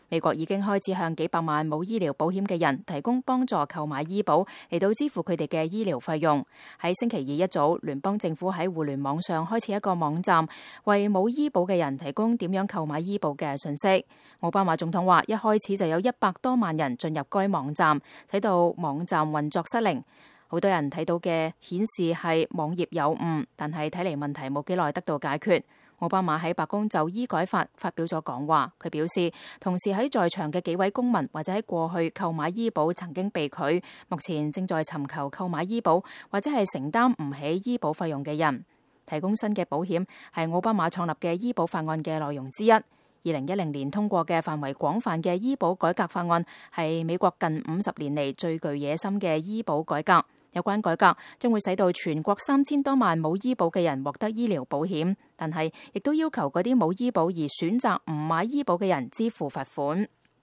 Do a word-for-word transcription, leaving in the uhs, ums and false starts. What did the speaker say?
美國已經開始向幾百萬冇醫療保險嘅人提供幫助購買醫保，嚟到支付佢哋嘅醫療費用。喺星期二一早，聯邦政府喺互聯網上開始一個網站，為冇醫保嘅人提供點樣購買醫保嘅信息。奧巴馬總統話，一開始就有一百多萬人進入該網站，睇到網站運作失靈。好多人睇到嘅顯示係網頁有誤，但係睇嚟問題冇幾耐得到解決。奧巴馬喺白宮就醫改法發表咗講話，佢表示同時喺在場嘅幾位公民或者喺過去購買醫保曾經被拒，目前正在尋求購買醫保或者係承擔唔起醫保費用嘅人。提供新嘅保險係奧巴馬創立嘅醫保法案嘅內容之一。二零一零年通過嘅範圍廣泛嘅醫保改革法案係美國近五十年嚟最具野心嘅醫保改革。有關改革將會使到全國三千多萬冇醫保嘅人獲得醫療保險，但係亦都要求嗰啲冇醫保而選擇唔買醫保嘅人支付罰款。